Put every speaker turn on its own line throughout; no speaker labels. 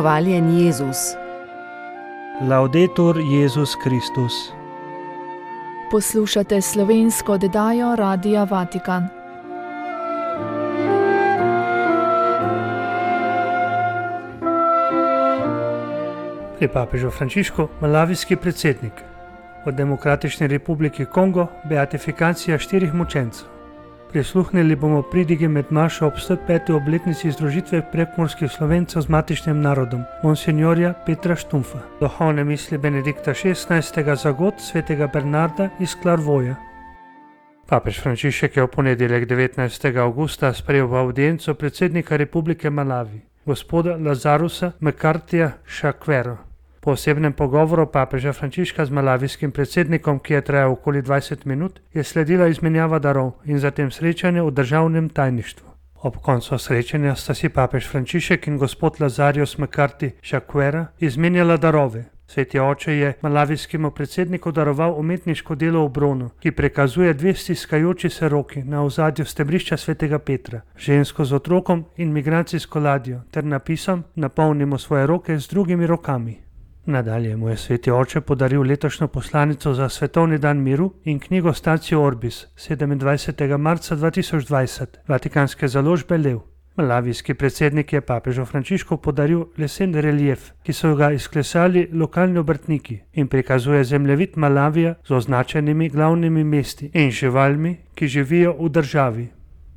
Hvaljen Jezus.
Laudetur Jezus Kristus.
Poslušate slovensko oddajo Radia Vatikan.
Pri papežu Frančišku malavijski predsednik. V Demokratični republiki Kongo beatifikacija 4 mučencev. Prisluhnili bomo pridigi med mašo ob 105. obletnici združitve prekmurskih Slovencev z matičnim narodom, monsinjorja Petra Štumfa. Duhovne misli Benedikta XVI. Za god svetega Bernarda iz Klarvoja. Papež Frančišek je v ponedeljek 19. avgusta sprejel v avdienco predsednika Republike Malavi, gospoda Lazarusa Mkartija Šakvero. Po osebnem pogovoru papeža Frančiška z malavijskim predsednikom, ki je trajal okoli 20 minut, je sledila izmenjava darov in zatem srečanje v državnem tajništvu. Ob koncu srečanja sta si papež Frančišek in gospod Lazarus Mkarti Šakvera izmenjala darove. Sveti oče je malavijskemu predsedniku daroval umetniško delo v bronu, ki prikazuje 2 stiskajoči se roki na ozadju stebrišča svetega Petra, žensko z otrokom in migracijsko ladjo ter napisom "Napolnimo svoje roke z drugimi rokami". Nadalje mu je sveti oče podaril letošnjo poslanico za svetovni dan miru in knjigo Statio Orbis 27. marca 2020 vatikanske založbe Lev. Malavijski predsednik je papežu Frančišku podaril lesen relief, ki so ga izklesali lokalni obrtniki in prikazuje zemljevid Malavija z označenimi glavnimi mesti in živalmi, ki živijo v državi.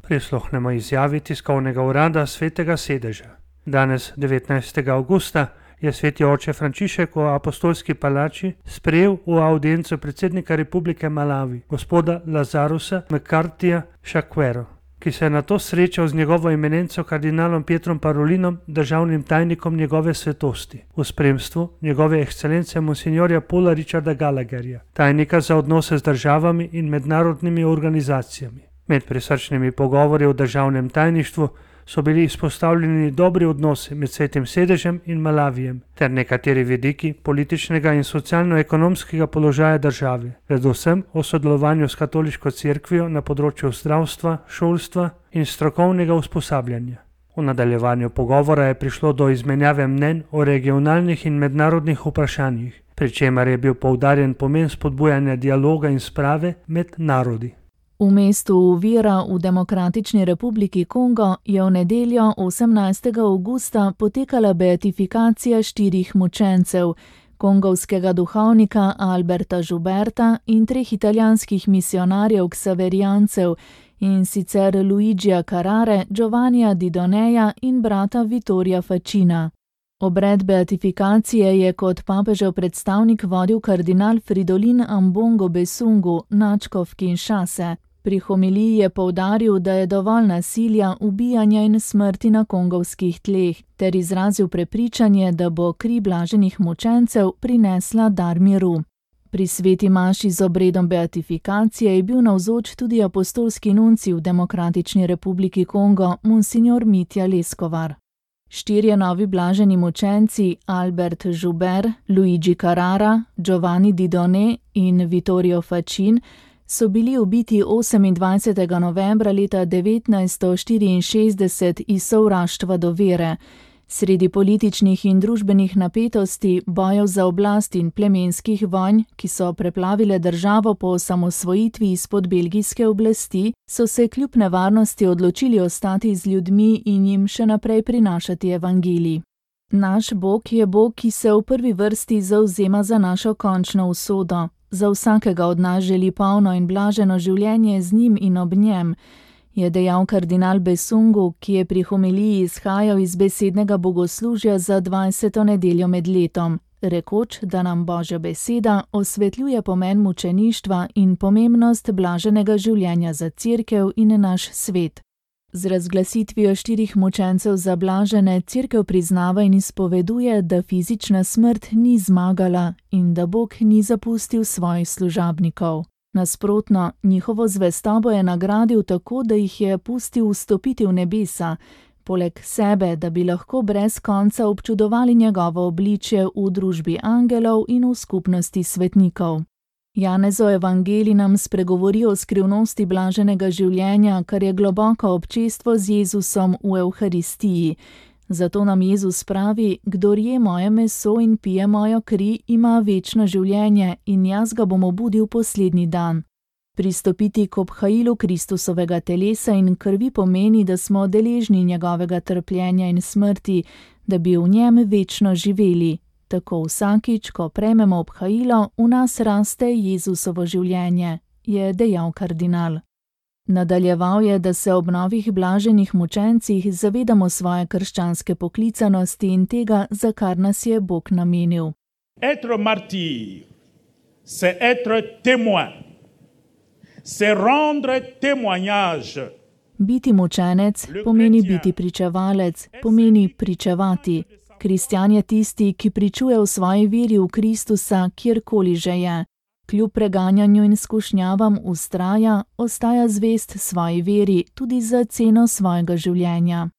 Prisluhnemo izjavi tiskovnega urada svetega sedeža. Danes, 19. avgusta, je sveti oče Frančišek v apostolski palači sprejel v avdienco predsednika Republike Malavi, gospoda Lazarusa Mkartija Šakvero, ki se je nato srečal z njegovo eminenco kardinalom Pietrom Parolinom, državnim tajnikom njegove svetosti, v spremstvu njegove ekscelence monsinjorja Paula Richarda Gallagherja, tajnika za odnose z državami in mednarodnimi organizacijami. Med prisrčnimi pogovori v državnem tajništvu so bili izpostavljeni dobri odnosi med svetim sedežem in Malavijem ter nekateri vidiki političnega in socialno-ekonomskega položaja države, predvsem o sodelovanju s katoliško cerkvijo na področju zdravstva, šolstva in strokovnega usposabljanja. V nadaljevanju pogovora je prišlo do izmenjave mnenj o regionalnih in mednarodnih vprašanjih, pri čemer je bil poudarjen pomen spodbujanja dialoga in sprave med narodi.
V mestu Uvira v Demokratični republiki Kongo je v nedeljo 18. avgusta potekala beatifikacija 4 mučencev, kongovskega duhovnika Alberta Žuberta in 3 italijanskih misionarjev ksaverijancev, in sicer Luigija Carrare, Giovannija Didoneja in brata Vittorija Facina. Obred beatifikacije je kot papežev predstavnik vodil kardinal Fridolin Ambongo Besungu, nadškof Kinshase. Pri homiliji je poudaril, da je dovolj nasilja, ubijanja in smrti na kongovskih tleh, ter izrazil prepričanje, da bo kri blaženih mučencev prinesla dar miru. Pri sveti maši z obredom beatifikacije je bil navzoč tudi apostolski nuncij v Demokratični republiki Kongo, monsinjor Mitja Leskovar. 4 novi blaženi mučenci, Albert Žuber, Luigi Carrara, Giovanni Didone in Vittorio Facin, so bili ubiti 28. novembra leta 1964 iz sovraštva do vere. Sredi političnih in družbenih napetosti, bojev za oblast in plemenskih vojn, ki so preplavile državo po osamosvojitvi izpod belgijske oblasti, so se kljub nevarnosti odločili ostati z ljudmi in jim še naprej prinašati evangelij. Naš Bog je Bog, ki se v prvi vrsti zavzema za našo končno usodo. Za vsakega od nas želi polno in blaženo življenje z njim in ob njem, je dejal kardinal Besungu, ki je pri homiliji izhajal iz besednega bogoslužja za 20. nedeljo med letom, rekoč, da nam Božja beseda osvetljuje pomen mučeništva in pomembnost blaženega življenja za cerkev in naš svet. Z razglasitvijo 4 mučencev za blažene cerkev priznava in izpoveduje, da fizična smrt ni zmagala in da Bog ni zapustil svojih služabnikov. Nasprotno, njihovo zvestobo je nagradil tako, da jih je pustil vstopiti v nebesa, poleg sebe, da bi lahko brez konca občudovali njegovo obličje v družbi angelov in v skupnosti svetnikov. Janezov evangelij nam spregovori o skrivnosti blaženega življenja, kar je globoko občestvo z Jezusom v Evharistiji. Zato nam Jezus pravi: kdor je moje meso in pije mojo kri, ima večno življenje in jaz ga bom obudil poslednji dan. Pristopiti k obhajilu Kristusovega telesa in krvi pomeni, da smo deležni njegovega trpljenja in smrti, da bi v njem večno živeli. Tako vsakič, ko prejmemo obhajilo, v nas raste Jezusovo življenje, je dejal kardinal. Nadaljeval je, da se ob novih blaženih mučencih zavedamo svoje krščanske poklicanosti in tega, za kar nas je Bog namenil.
Être martyr, c'est être témoin, c'est rendre témoignage.
Biti mučenec pomeni biti pričevalec, pomeni pričevati. Kristjan je tisti, ki pričuje o svoji veri v Kristusa, kjerkoli že je. Kljub preganjanju in skušnjavam vztraja, ostaja zvest svoji veri, tudi za ceno svojega življenja.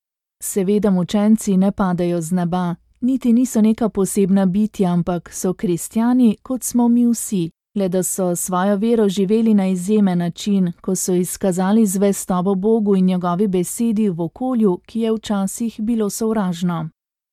Seveda mučenci ne padajo z neba, niti niso neka posebna bitja, ampak so kristjani, kot smo mi vsi, le da so svojo vero živeli na izjemen način, ko so izkazali zvestobo Bogu in njegovi besedi v okolju, ki je včasih bilo sovražno.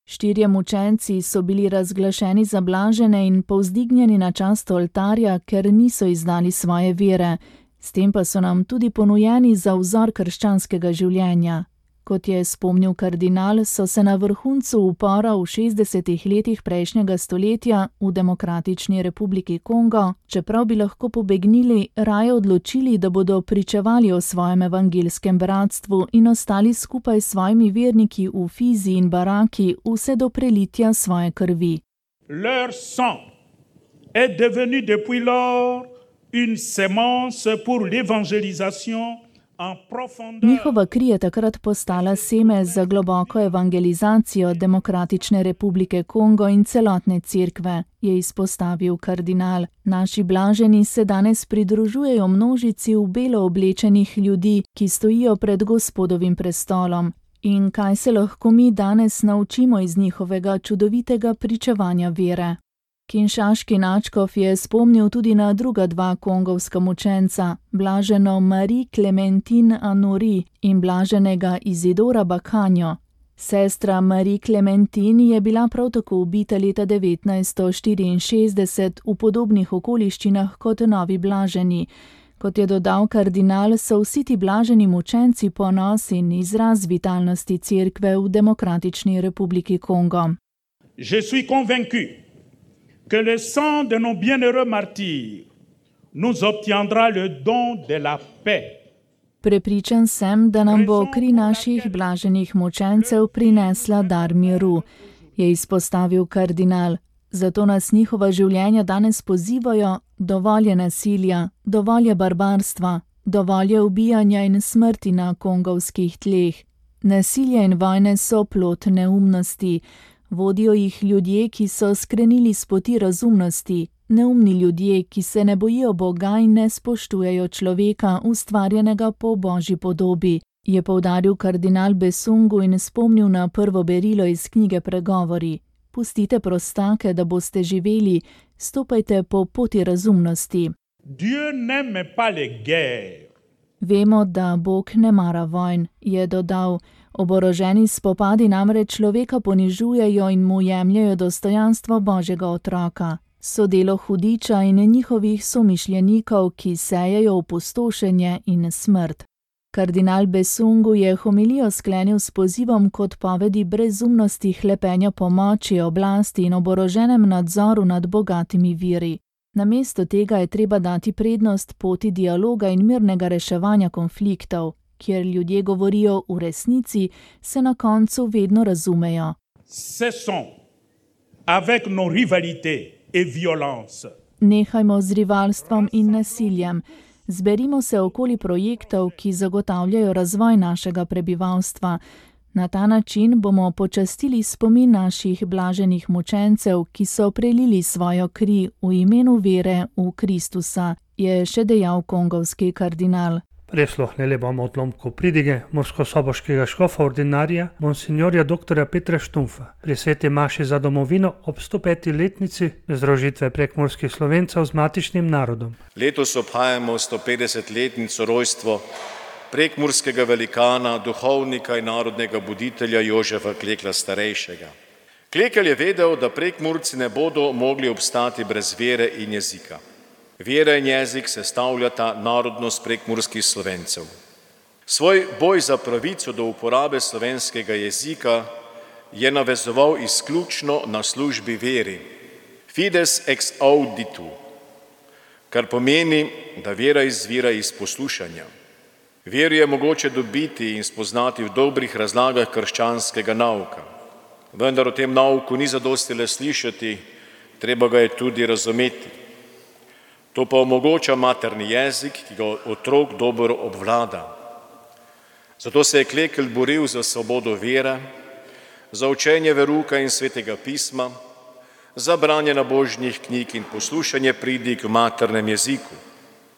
4 mučenci so bili razglašeni za blažene in povzdignjeni na čast oltarja, ker niso izdali svoje vere, s tem pa so nam tudi ponujeni za vzor krščanskega življenja. Kot je spomnil kardinal, so se na vrhuncu upora v 60. letih prejšnjega stoletja v Demokratični republiki Kongo, čeprav bi lahko pobegnili, raje odločili, da bodo pričevali o svojem evangelskem bratstvu in ostali skupaj s svojimi verniki v Fizi in Baraki vse do prelitja svoje krvi.
Leur sang est devenu depuis lors une sémence pour l'évangélisation.
Njihova kri je takrat postala seme za globoko evangelizacijo Demokratične republike Kongo in celotne cerkve, je izpostavil kardinal. Naši blaženi se danes pridružujejo množici v belo oblečenih ljudi, ki stojijo pred Gospodovim prestolom. In kaj se lahko mi danes naučimo iz njihovega čudovitega pričevanja vere? Kinšaški nadškof je spomnil tudi na druga 2 kongovska mučenca, blaženo Marie Clementine Anori in blaženega Izidora Bakanjo. Sestra Marie Clementine je bila prav tako ubita leta 1964 v podobnih okoliščinah kot novi blaženi. Kot je dodal kardinal, so vsi ti blaženi mučenci ponos in izraz vitalnosti cerkve v Demokratični republiki Kongo.
Je suis convaincu que le sang de nos bienheureux martyrs nous obtiendra le don de la paix.
Prepričan sem, da nam bo kri naših blaženih mučencev prinesla dar miru, je izpostavil kardinal. Zato nas njihova življenja danes pozivajo: dovolj je nasilja, dovolj je barbarstva, dovolj je ubijanja in smrti na kongovskih tleh. Nasilje in vojne so plod neumnosti. Vodijo jih ljudje, ki so skrenili s poti razumnosti, neumni ljudje, ki se ne bojijo Boga in ne spoštujejo človeka, ustvarjenega po Božji podobi, je poudaril kardinal Besungu in spomnil na prvo berilo iz knjige Pregovori. Pustite prostake, da boste živeli, stopajte po poti razumnosti.
Dieu n'aime pas les guerres.
Vemo, da Bog ne mara vojn, je dodal. Oboroženi spopadi namreč človeka ponižujejo in mu jemljajo dostojanstvo Božjega otroka. So delo hudiča in njihovih somišljenikov, ki sejejo opustošenje in smrt. Kardinal Besungu je homilijo sklenil s pozivom k odpovedi brezumnosti hlepenja po moči, oblasti in oboroženem nadzoru nad bogatimi viri. Namesto tega je treba dati prednost poti dialoga in mirnega reševanja konfliktov, kjer ljudje govorijo v resnici, se na koncu vedno razumejo.
Cessons avec nos rivalités et violences.
Nehajmo z rivalstvom in nasiljem. Zberimo se okoli projektov, ki zagotavljajo razvoj našega prebivalstva. Na ta način bomo počastili spomin naših blaženih mučencev, ki so prelili svojo kri v imenu vere v Kristusa, je še dejal kongovski kardinal.
Prisluhnili bomo odlomku pridige murskosoboškega škofa ordinarija monsignorja dr. Petra Štumfa pri sveti maši za domovino ob 105. letnici združitve prekmurskih Slovencev z matičnim narodom.
Letos obhajamo 150-letnico rojstvo prekmurskega velikana, duhovnika in narodnega buditelja Jožefa Klekla starejšega. Klekelj je vedel, da Prekmurci ne bodo mogli obstati brez vere in jezika. Vera in jezik sestavljata narodnost prekmurskih Slovencev. Svoj boj za pravico do uporabe slovenskega jezika je navezoval izključno na službi veri, fides ex auditu, kar pomeni, da vera izvira iz poslušanja. Vero je mogoče dobiti in spoznati v dobrih razlagah krščanskega nauka. Vendar o tem nauku ni zadosti le slišati, treba ga je tudi razumeti. To pa omogoča materni jezik, ki ga otrok dobro obvlada. Zato se je Klekelj boril za svobodo vere, za učenje veruka in svetega pisma, za branje nabožnih knjig in poslušanje pridig v maternem jeziku.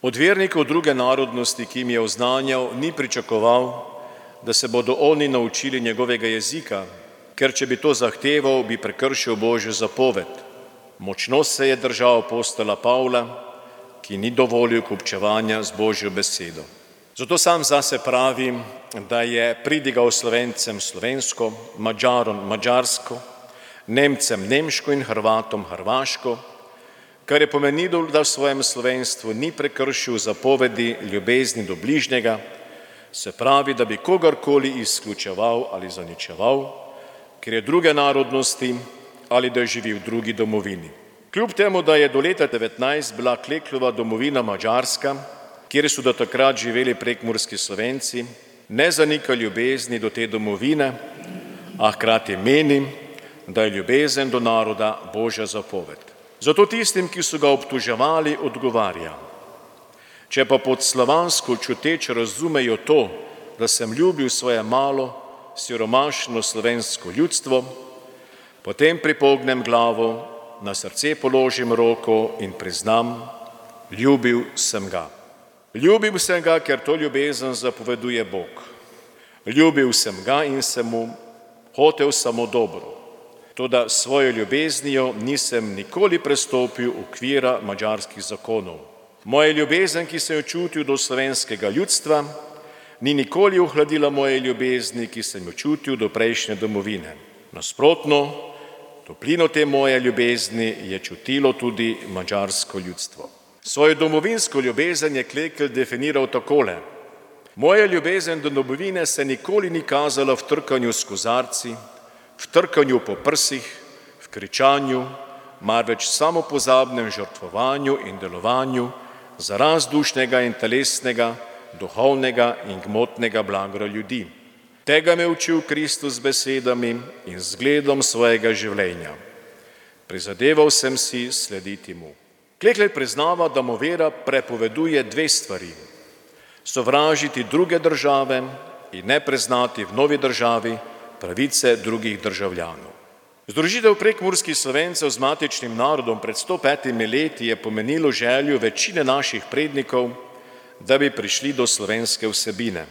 Od vernikov druge narodnosti, ki jim je oznanjal, ni pričakoval, da se bodo oni naučili njegovega jezika, ker če bi to zahteval, bi prekršil Božjo zapoved. Močno se je držal apostola Pavla, ki ni dovolil kupčevanja z Božjo besedo. Zato sam zase pravim, da je pridigal Slovencem slovensko, Madžarom madžarsko, Nemcem nemško in Hrvatom hrvaško, kar je pomenilo, da v svojem slovenstvu ni prekršil zapovedi ljubezni do bližnjega, se pravi, da bi kogarkoli izključeval ali zaničeval, ker je druge narodnosti ali da živi v drugi domovini. Kljub temu, da je do leta 19 bila Klekljova domovina Madžarska, kjer so do takrat živeli prekmurski Slovenci, ne zanika ljubezni do te domovine, a hkrati meni, da je ljubezen do naroda Božja zapoved. Zato tistim, ki so ga obtoževali, odgovarja: če pa pod slovansko čuteč razumejo to, da sem ljubil svoje malo, siromašno slovensko ljudstvo, potem pripognem glavo, na srce položim roko in priznam, ljubil sem ga. Ljubil sem ga, ker to ljubezen zapoveduje Bog. Ljubil sem ga in sem mu hotel samo dobro. Toda svojo ljubeznijo nisem nikoli prestopil okvira madžarskih zakonov. Moja ljubezen, ki sem jo čutil do slovenskega ljudstva, ni nikoli ohladila moje ljubezni, ki sem jo čutil do prejšnje domovine. Nasprotno, toplino te moje ljubezni je čutilo tudi madžarsko ljudstvo. Svojo domovinsko ljubezen je Klekelj definiral takole: moja ljubezen do domovine se nikoli ni kazala v trkanju s kozarci, v trkanju po prsih, v kričanju, marveč samopozabnem žrtvovanju in delovanju za razdušnega in telesnega, duhovnega in gmotnega blaga ljudi. Tega me učil Kristus z besedami in zgledom svojega življenja. Prizadeval sem si slediti mu. Klekelj priznava, da mu vera prepoveduje dve stvari: sovražiti druge države in ne priznati v novi državi pravice drugih državljanov. Združitev prekmurskih Slovencev z matičnim narodom pred 105 leti je pomenilo željo večine naših prednikov, da bi prišli do slovenske vsebine.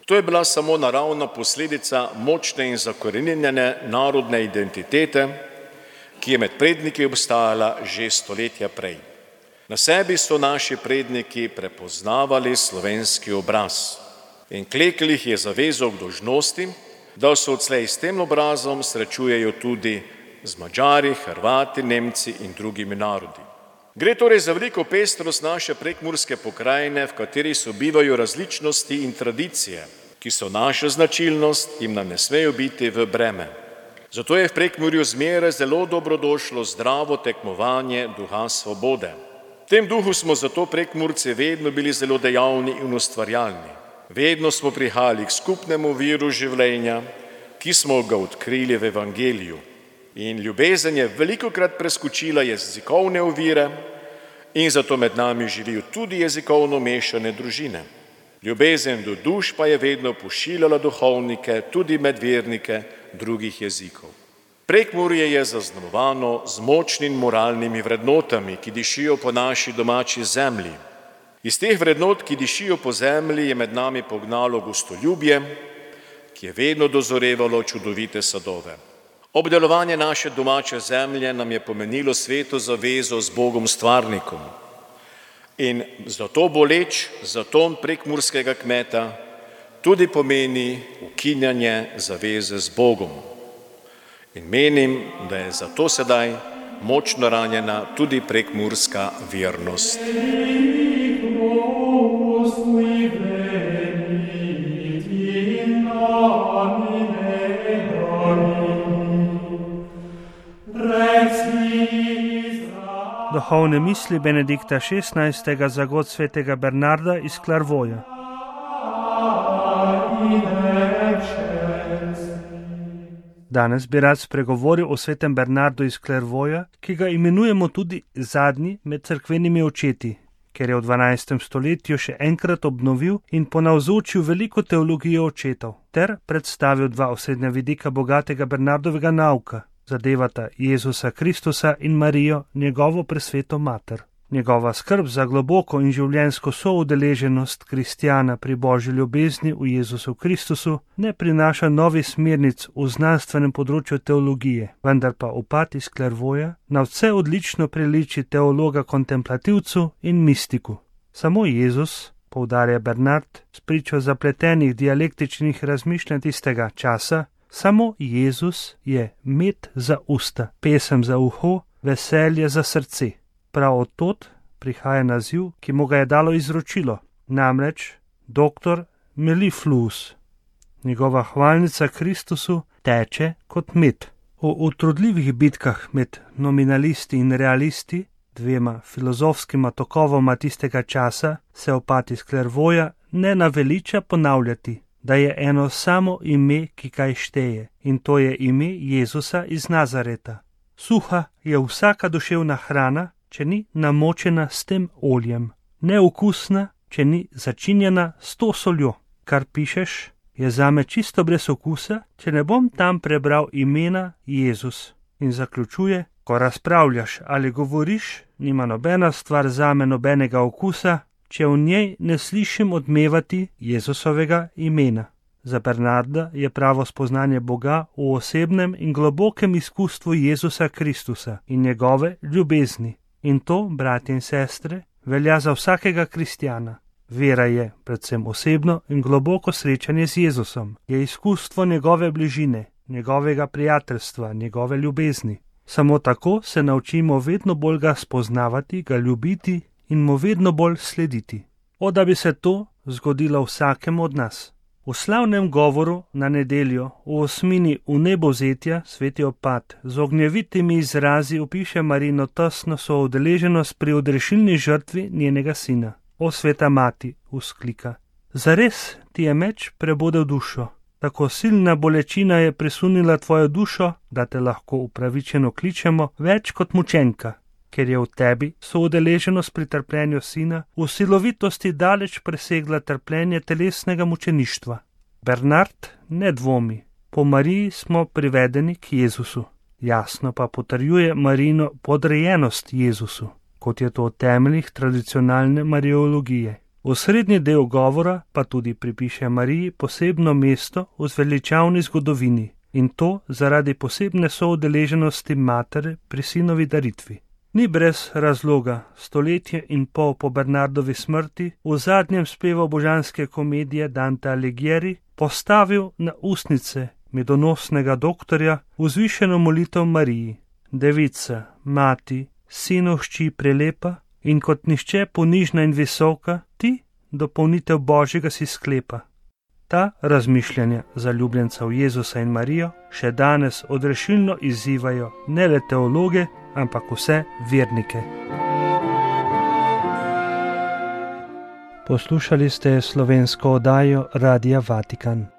To je bila samo naravna posledica močne in zakoreninjene narodne identitete, ki je med predniki obstajala že stoletja prej. Na sebi so naši predniki prepoznavali slovenski obraz in Klekelj jih je zavezal k dolžnosti, da se odslej s tem obrazom srečujejo tudi z Madžari, Hrvati, Nemci in drugimi narodi. Gre torej za veliko pestrost naše prekmurske pokrajine, v kateri sobivajo različnosti in tradicije, ki so naša značilnost in nam ne smejo biti v breme. Zato je v Prekmurju zmeraj zelo dobrodošlo zdravo tekmovanje duha svobode. V tem duhu smo zato Prekmurci vedno bili zelo dejavni in ustvarjalni. Vedno smo prihajali k skupnemu viru življenja, ki smo ga odkrili v evangeliju. In ljubezen je velikokrat preskočila jezikovne ovire in zato med nami živijo tudi jezikovno mešane družine. Ljubezen do duš pa je vedno pošiljala duhovnike, tudi med vernike drugih jezikov. Prekmurje je zaznamovano z močnimi moralnimi vrednotami, ki dišijo po naši domači zemlji. Iz teh vrednot, ki dišijo po zemlji, je med nami pognalo gostoljubje, ki je vedno dozorevalo čudovite sadove. Obdelovanje naše domače zemlje nam je pomenilo sveto zavezo z Bogom stvarnikom. In zato boleč zaton prekmurskega kmeta tudi pomeni ukinjanje zaveze z Bogom. In menim, da je zato sedaj močno ranjena tudi prekmurska vernost.
Duhovne misli Benedikta XVI. Za god svetega Bernarda iz Clairvauxa. Danes bi rad spregovoril o svetem Bernardu iz Clairvauxa, ki ga imenujemo tudi zadnji med cerkvenimi očeti, ker je v 12. stoletju še enkrat obnovil in ponavzočil veliko teologijo očetov, ter predstavil dva osrednja vidika bogatega Bernardovega nauka, zadevata Jezusa Kristusa in Marijo, njegovo presveto mater. Njegova skrb za globoko in življenjsko soudeleženost kristjana pri božji ljubezni v Jezusu Kristusu ne prinaša novih smernic v znanstvenem področju teologije, vendar pa upad iz Clairvauxa na vse odlično priliči teologa kontemplativcu in mistiku. Samo Jezus, poudarja Bernard, spričo zapletenih dialektičnih razmišljanj tistega časa, samo Jezus je med za usta, pesem za uho, veselje za srce. Prav od tod prihaja naziv, ki mu ga je dalo izročilo, namreč doktor Mellifluus. Njegova hvalnica Kristusu teče kot med. O utrudljivih bitkah med nominalisti in realisti, dvema filozofskima tokovoma tistega časa, se opad iz Clairvauxa ne naveliča ponavljati, da je eno samo ime, ki kaj šteje, in to je ime Jezusa iz Nazareta. Suha je vsaka duševna hrana, če ni namočena s tem oljem, neokusna, če ni začinjena s to soljo. Kar pišeš, je zame čisto brez okusa, če ne bom tam prebral imena Jezus. In zaključuje, ko razpravljaš ali govoriš, nima nobena stvar zame nobenega okusa, če v njej ne slišim odmevati Jezusovega imena. Za Bernarda je pravo spoznanje Boga v osebnem in globokem izkustvu Jezusa Kristusa in njegove ljubezni. In to, bratje in sestre, velja za vsakega kristjana. Vera je predvsem osebno in globoko srečanje z Jezusom, je izkustvo njegove bližine, njegovega prijateljstva, njegove ljubezni. Samo tako se naučimo vedno bolj ga spoznavati, ga ljubiti in mu vedno bolj slediti. O, da bi se to zgodilo vsakemu od nas. V slavnem govoru na nedeljo v osmini vnebovzetja sveti opad z ognjevitimi izrazi opiše Marino tesno soudeleženost pri odrešilni žrtvi njenega sina. O, sveta mati, vzklika, zares ti je meč prebodel dušo, tako silna bolečina je presunila tvojo dušo, da te lahko upravičeno kličemo več kot mučenka, ker je v tebi soudeleženost pri trpljenju sina v silovitosti daleč presegla trpljenje telesnega mučeništva. Bernard ne dvomi, po Mariji smo privedeni k Jezusu. Jasno pa potrjuje Marino podrejenost Jezusu, kot je to v temeljih tradicionalne mariologije. V srednji del govora pa tudi pripiše Mariji posebno mesto v zveličavni zgodovini, in to zaradi posebne soudeleženosti matere pri sinovi daritvi. Ni brez razloga stoletje in pol po Bernardovi smrti v zadnjem spevu božanske komedije Dante Alighieri postavil na ustnice medonosnega doktorja vzvišeno molitev Mariji, devica, mati, sinu hči prelepa in kot nihče ponižna in visoka, ti dopolnitev Božjega si sklepa. Ta razmišljanja zaljubljencev Jezusa in Marijo še danes odrešilno izzivajo ne le teologe, ampak vse vernike. Poslušali ste slovensko oddajo Radia Vatikan.